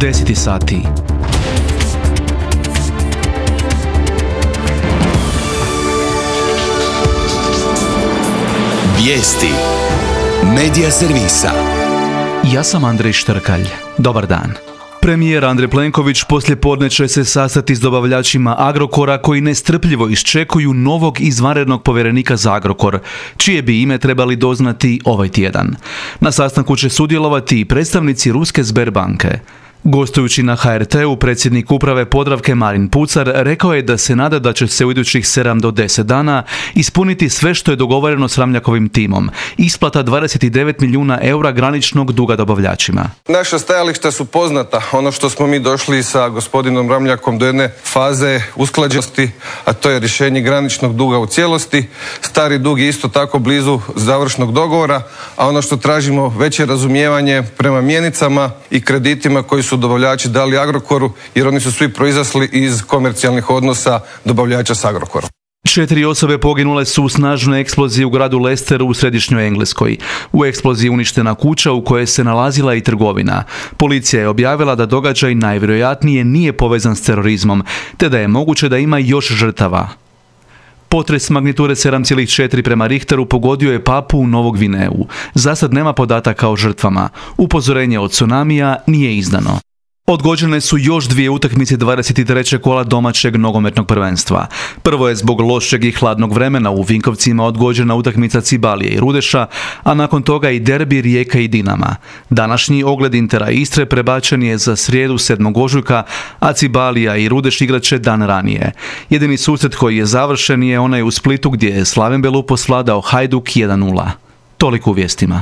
10 sati. Vijesti Medija servisa. Ja sam Andrej Štrkalj. Dobar dan. Premijer Andrej Plenković poslijepodne će se sastati s dobavljačima Agrokora koji nestrpljivo iščekuju novog izvanrednog povjerenika za Agrokor, čije bi ime trebali doznati ovaj tjedan. Na sastanku će sudjelovati i predstavnici ruske Sberbanke. Gostujući na HRT-u, predsjednik uprave Podravke Marin Pucar rekao je da se nada da će se u idućih 7 do 10 dana ispuniti sve što je dogovoreno s Ramljakovim timom. Isplata 29 milijuna eura graničnog duga dobavljačima. Naša stajališta su poznata. Ono što smo mi došli sa gospodinom Ramljakom do jedne faze usklađenosti, a to je rješenje graničnog duga u cijelosti. Stari dug je isto tako blizu završnog dogovora, a ono što tražimo veće razumijevanje prema mjenicama i kreditima koji su dobavljači dali Agrokoru, jer oni su svi proizašli iz komercijalnih odnosa dobavljača s Agrokorom. 4 osobe poginule su u snažnoj eksploziji u gradu Leicesteru u središnjoj Engleskoj. U eksploziji uništena kuća u kojoj se nalazila i trgovina. Policija je objavila da događaj najvjerojatnije nije povezan s terorizmom, te da je moguće da ima još žrtava. Potres magnitude 7,4 prema Richteru pogodio je Papuu Novog Gvineu. Zasad nema podataka o žrtvama. Upozorenje od tsunamija nije izdano. Odgođene su još 2 utakmice 23. kola domaćeg nogometnog prvenstva. Prvo je zbog lošeg i hladnog vremena u Vinkovcima odgođena utakmica Cibalije i Rudeša, a nakon toga i derbi Rijeka i Dinama. Današnji ogled Intera i Istre prebačen je za srijedu 7. ožujka, a Cibalija i Rudeš igrat će dan ranije. Jedini susret koji je završen je onaj u Splitu gdje je Slaven Belupo svladao Hajduk 1:0. Toliko u vijestima.